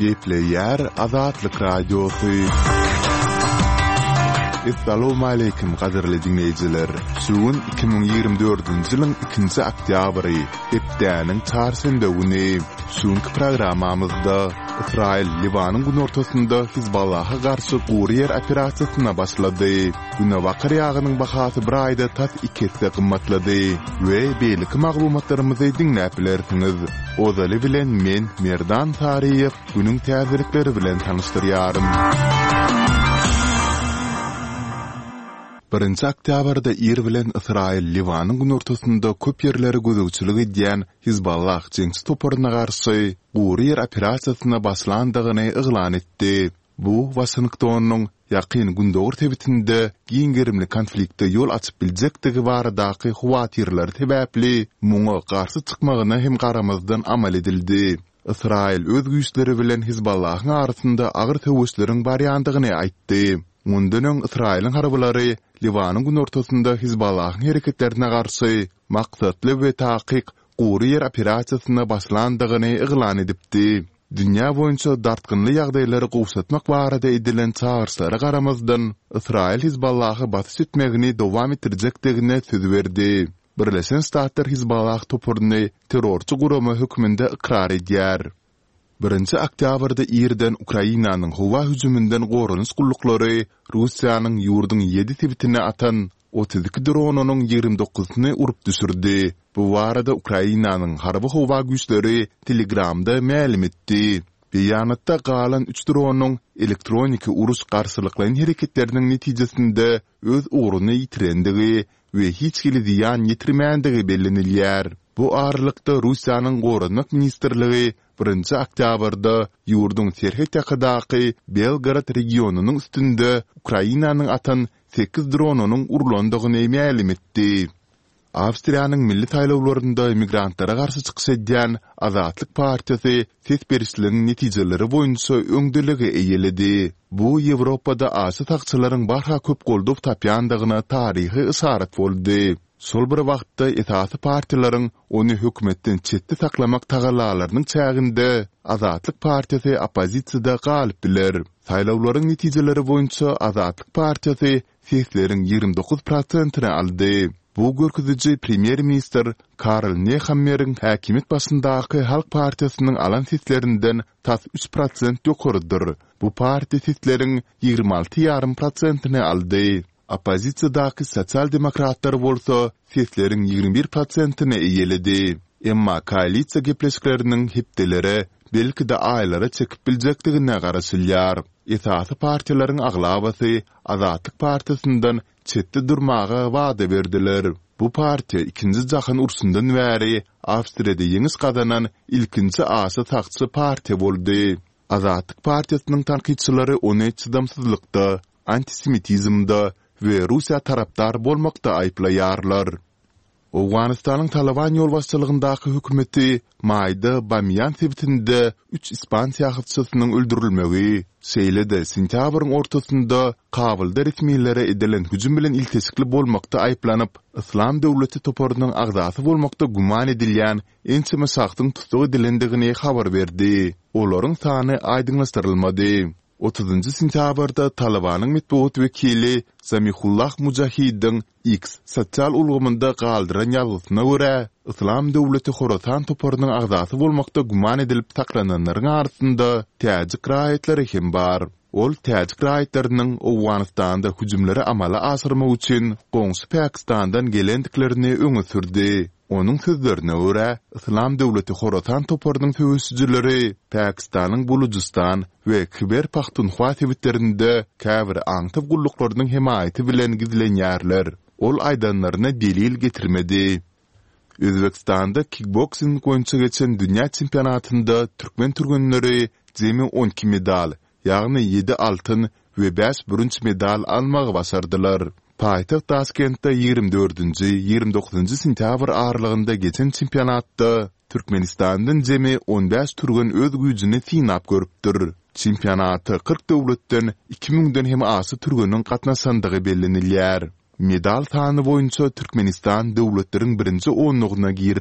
Gepleýär Azatlyk Radiosy. Essalawmaleýkim gadyrly diňleýjiler! Şu gün 2024-nji ýylyň ikinji oktýabry, hepdäniň çarşenbe güni. Şu günki programmamyzda Ysraýyl Liwanyň günortasynda Hizballaha garşy gury ýer operasiýasyna başlady. Günebakar ýagynyň bahasy bir aýda tas iki esse gymmatlady we beýleki maglumatlarymyzy diňläp bilersiňiz. Ozaly bilen men, Merdan Saryýew, günüň täzelikleri bilen tanyşdyrýaryn. Birinji oktýabrda ir bilen Ysraýyl Liwanyň günortasynda köp ýerlere gözegçilik edýän Hizballah jeňçi toparyna garşy gury ýer operasiýasyna başlandygyny yglan etdi. Bu Waşingtonyň Ýakyn Gündogar sebitinde giň gerimli konflikte ýol açyp biljekdigi baradaky howatyrlary sebäpli muňa garşy çykmagyna hem garamazdan amal edildi. Ysraýyl öz güýçleri bilen Hizballahyň arasynda agyr söweşleriň barýandygyny aýtdy. Mundan öň Ysraýylyň harbylary Liwanyň günortasynda Hizballahyň hereketlerine garşy maksatly we takyk gury ýer operasiýasyna başlandygyny yglan edipdi. Dünýä boýunça dartgynly ýagdaýlary gowşatmak barada edilen çagyryşlara garamazdan, Ysraýyl Hizballaha basyş etmegini dowam etdirjekdigine söz berdi. Birleşen Ştatlar Hizballah toparyny terrorçy gurama hökmünde ykrar edýär. Birinji oktýabrda irden Ukrainanyň howa hüjüminden goranyş gulluklary Russiýanyň ýurduň ýedi sebitine atan 32 dronynyň ýigrimi dokuzysyny urup düşürdi. Bu barada Ukrainanyň Harby-howa güýçleri Telegramda mälim etdi. Beýanatda galan üç dronyň elektroniki uruş garşylyklaýyn hereketleriniň netijesinde öz ugruny ýitirendigi we hiç hili zyýan ýetirmändigi bellenilýär. Bu aralykda, Russiýanyň Goranmak ministrligi birinji oktýabrda ýurduň serhet ýakadaky Belgorod regionynyň üstünde Ukrainanyň atan sekiz dronynyň urlandygyny mälim etdi. Awstriýanyň milli saýlawlarynda migrantlara garşy çykyş edýän Azatlyk partiýasy ses berişligiň netijeleri boýunça öňdeligi eýeledi. Bu Ýewropada aşa sagçylaryň barha köp goldaw tapýandygyna taryhy yşarat boldy. Şol bir wagtda esasy partiýalaryň ony hökümetden çetde saklamak tagallalarynyň çäginde Azatlyk partiýasy oppozisiýada galyp biler. Saýlawlaryň netijeleri boýunça Azatlyk partiýasy sesleriň 29 prosentini aldy. Bu görkeziji premýer-ministr Karl Nehammeriň häkimiýet başyndaky Halk partiýasynyň alan seslerinden tas üç prosent ýokarydyr. Bu partiýa sesleriň 26 ýarym prosentini aldy. Oppozisiýadaky sosial-demokratlar bolsa sesleriň 21 prosentini eýeledi. Emma koalisiýa gepleşikleriniň hepdelere, belki-de aýlara çekip biljekdigine garaşylýar. Esasy partiýalaryň aglabasy Azatlyk partiýasyndan çetde durmaga wada berdiler. Bu partiýa Ikinji jahan urşundan bäri Awstriýada ýeňiş gazanan ilkinji aşa sagçy partiýa boldy. Azatlyk partiýasynyň tankytçylary ony çydamsyzlykda, antisemitizmde we Russiýa tarapdar bolmakda aýyplaýarlar. Owganystanyň Talyban ýolbaşçylygyndaky hökümeti maýda Bamiýan sebitinde üç ispan syýahatçysynyň öldürilmegi, şeýle-de sentýabryň ortasynda Kabulda resmilere edilen hüjüm bilen ilteşikli bolmakda aýyplanyp, Yslam döwleti toparynyň agzasy bolmakda güman edilýän ençeme şahsyň tussag edilendigini habar berdi. Olaryň sany aýdyňlaşdyrylmady. Otuzynjy sentýabrda Talybanyň metbugat wekili Zamihullah Mujahidiň X sosial ulgamynda galdyran ýazgysyna görä, Yslam döwleti Horasan toparynyň agzasy bolmakda güman edilip saklananlaryň arasynda täjik raýatlary hem bar. Ol täjik raýatlarynyň Owganystanda hüjümleri amala aşyrmak üçin goňşy Pakistandan gelendiklerini öňe sürdi. Onuň sözlerine görä, Yslam döwleti Horasan toparynyň söweşijileri Pakistanyň Bulujystan we Khyber-Pahtunhwa sebitlerinde käbir aňtaw gulluklarynyň hemaýaty bilen gizlenýärler. Ol aýdanlaryna delil getirmedi. Özbegistanda kikboksing boýunça geçen dünýä çempionatynda türkmen türgenleri jemi 12 medal, ýagny ýedi altyn we bäş bürünç medal almagy başardylar. Paýtagt Daşkentde 24-nji, 29-njy sentýabr aralygynda geçen çempionatda Türkmenistandan jemi on bäş türgen öz güýjüni synap görüpdir. Çempionata 40 döwletden iki müňden hem aşa türgeniň gatnaşandygy bellenilýär. Medal sany boýunça Türkmenistan döwletleriň birinji onlugyna giripdir.